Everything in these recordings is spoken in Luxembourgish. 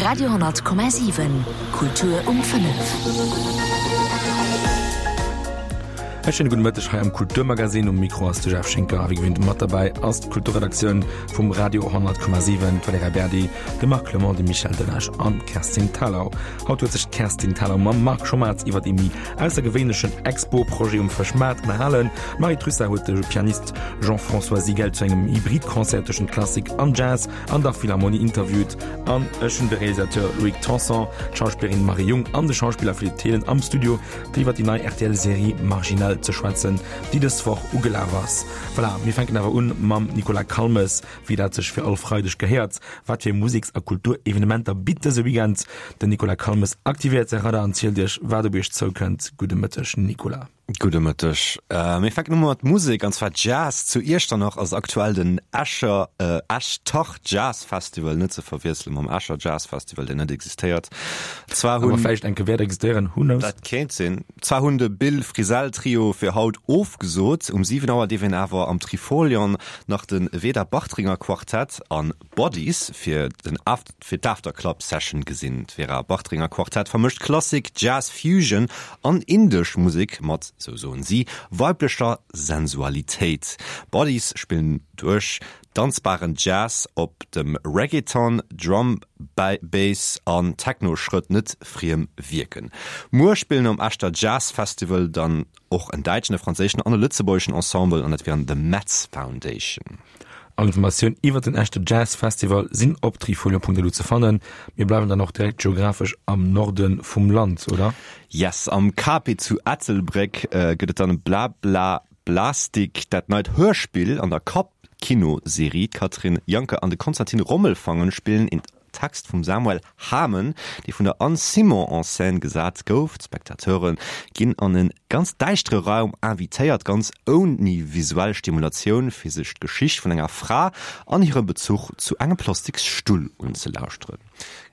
Radio,7 Kultur um 5. E schéine gudde Mëtteg hei am Kulturmagazin. Um Mikro ass de Jeff Schinker a wéi gewinnt mat derbäi ass d'Kulturredaktioun vum Radio 10,7, d'Valerija Berdi, de Marc Clement, de Michel Delage an d'Kerstin Thalau. Haut huet sech d'Kerstin Thalau mam Marc Schommerz iwwer ee méi aussergewéinlechen Expo-Projet um Fëschmaart ënnerhalen. D'Marie Trussart huet de Pianist Jean-François Sigel zu engem Hybrid-Concert tëschent Klassik an Jazz an der Philharmonie interviewt an ech hunn de Realisateur Loïc Tanson, d'Schauspillerin Marie Jung an de Schauspiller Philippe Thelen am Studio fir iwwer déi nei RTL-Serie Marginal ze schwätzen, déi dës Woch ugelaf ass. Voilà, mir fänken awer un mam Nicolas Calmes, wéi dat sech fir all Freideg gehéiert. Wat fir Museks a Kulturevenementer bitt dëse Weekend? Den Nicolas Calmes aktivéiert säi Radar an zielt iech, wat op iech zoukënnt. Gudde Mëtteg, Nicolas. Gudde Mëtteg. Mir fänken u mat Musek, an zwar Jazz. Zu Iechternach ass aktuell den Escher, Echtach Jazz Festival, net ze verwiessele mam Escher Jazz Festival, deen net existéiert. Zwar hunn. Awer vläicht eng Kéier wäert existéieren, who knows? Dat kéint sinn. Zwar hunn de Bill Frisell Trio fir haut ofgesot, um 7 Auer dierf een awer am Trifolion nach de Veda Bartringer Quartett an Bodies fir den fir d'Afterclub Session gesinn. D'Vera Bartringer Quartett vermëscht Klassik, Jazz, Fusion an indesch Musek mat, sou soen si, weiblecher Sensualitéit. Bodies spillen duerch danzbaren Jazz op dem Reggaeton, Drum Bass an Techno-Schrëtt net friem wierken. Muer spillen um Echter Jazz Festival dann och en däitschen, e franséischen an e lëtzebuergeschen Ensemble an dat wieren The Metz Foundation. All Informatioun iwwer den Echter Jazz Festival sinn op trifolio.lu ze fannen. Mir bleiwen dann och direkt geographesch am Norde vum Land, oder? Yes, am Cape zu Ettelbréck gëtt et dann Bla Bla Blastik, dat neit Hörspill an der Kapp-Kino-Serie. D'Katrin Janke an de Konstantin Rommelfangen spillen een Text vum Samuel Hamen, dee vun der Anne Simon en scène gesat gouf. D'Spectateure ginn an e ganz däischtere Raum invitéiert, ganz ouni visuell Stimulatioun, fir sech d'Geschicht vun enger Fra an hirem Bezuch zu engem Plastiksstull unzelauschteren.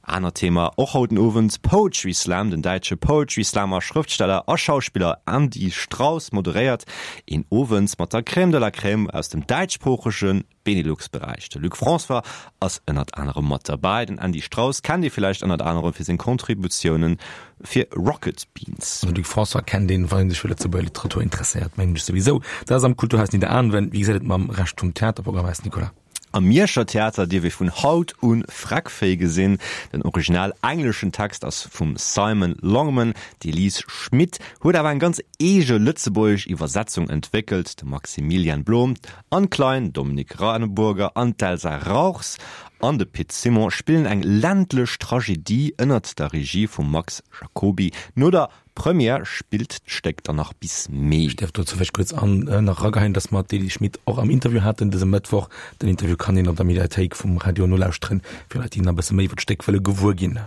Anert Thema och haut den Owend, Poetry Slam. Den däitsche Poetry Slammer, Schrëftsteller a Schauspiller Andy Strauss moderéiert een Owend mat der Crème de la Crème aus dem däitschsproochege Benelux-Beräich. De Luc François ass ënnert anerem mat derbäi. Den Andy Strauss kennt ee villäicht ënnert anerem fir seng Contributioune fir Rocket Beans. De Luc François kennt een, wann een sech fir Lëtzebuerger Literatur interesséiert, mengen ech souwisou. Dat ass am Kulturhaus Nidderaanwen. Wéi gesäit et mam Rescht vum Theaterprogramm aus, Nicolas? Am Mierscher Theater dierf ee vun haut un Freckféi gesinn. Den original engleschen Text ass vum Simon Longman. D'Elise Schmit huet awer eng ganz eege lëtzebuergesch Iwwersetzung entwéckelt. De Maximilian Blom, Anne Klein, Dominik Raneburger an d'Elsa Rauchs an de Pit Simon spillen eng ländlech Tragedie ënnert der Regie vum Max Jacoby. No der Première spillt d'Stéck dann nach bis Mee. Ech däerf dozou vläicht kuerz an nach erageheien, dass mer d'Elie Schmit och am Interview haten dëse Mëttwoch. Den Interview kann een op der Mediathéik vum Radio nolauschteren, fir Leit, déi nach e bësse méi iwwer d'Stéck wëlle gewuer ginn.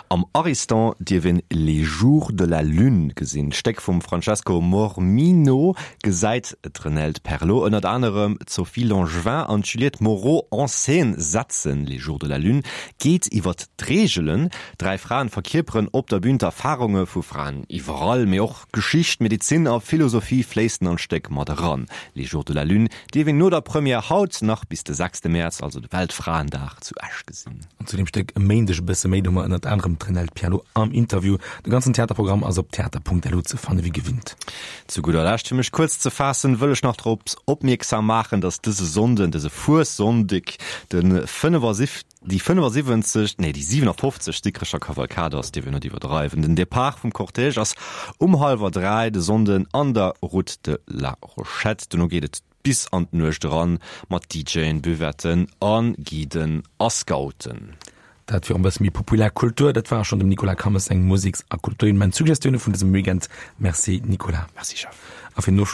Am Ariston dierf een Les jours de la lune gesinn. D'Stéck vum Francesco Mormino gesäit d'Renelde Perlot ënnert anerem d'Sophie Langevin an d'Juliette Moreau en scène setzen. Les jours de la lune geet iwwer d'Reegelen. Dräi Fraen verkierperen op der Bün d'Erfarunge vu Fraen iwwerall, mee och Geschicht, Medezin a Philosophie fléissen an d'Stéck mat eran. Les jours de la lune dierf een no der Première haut nach bis de sechste Mäerz, also de Weltfraendag, zu Esch gesinn. An zu deem Stéck e Méindeg e bësse méi, do hu mer ënnert anerem d'Renelde Pierlot am Interview. De ganzen Theaterprogramm ass op theater.lu ze fanne wéi gewinnt. Zu gudder Lescht, fir mech kuerz ze faassen, wëll ech nach drop opmierksam maachen, dass dëse Sonnden, dëse Fuessonndeg, de 75, déi 75, nee, déi 57. Dikrecher Kavalkad ass, dierf een net iwwerdreiwen. Den Depart vum Cortège ass um hallwer 3 de Sonnden an der Route de la Rochette. Dono geet et bis an d'Nuecht eran mat DJen, Buvetten a Guiden a Scouten. Dat fir en bësse méi populär Kultur. Dat war schonn dem Nicolas Cammes seng Museks a Kulturevenement-Suggestioune vun dësem Weekend. Merci Nicolas. Merci Jeff. A fir den Ofschloss.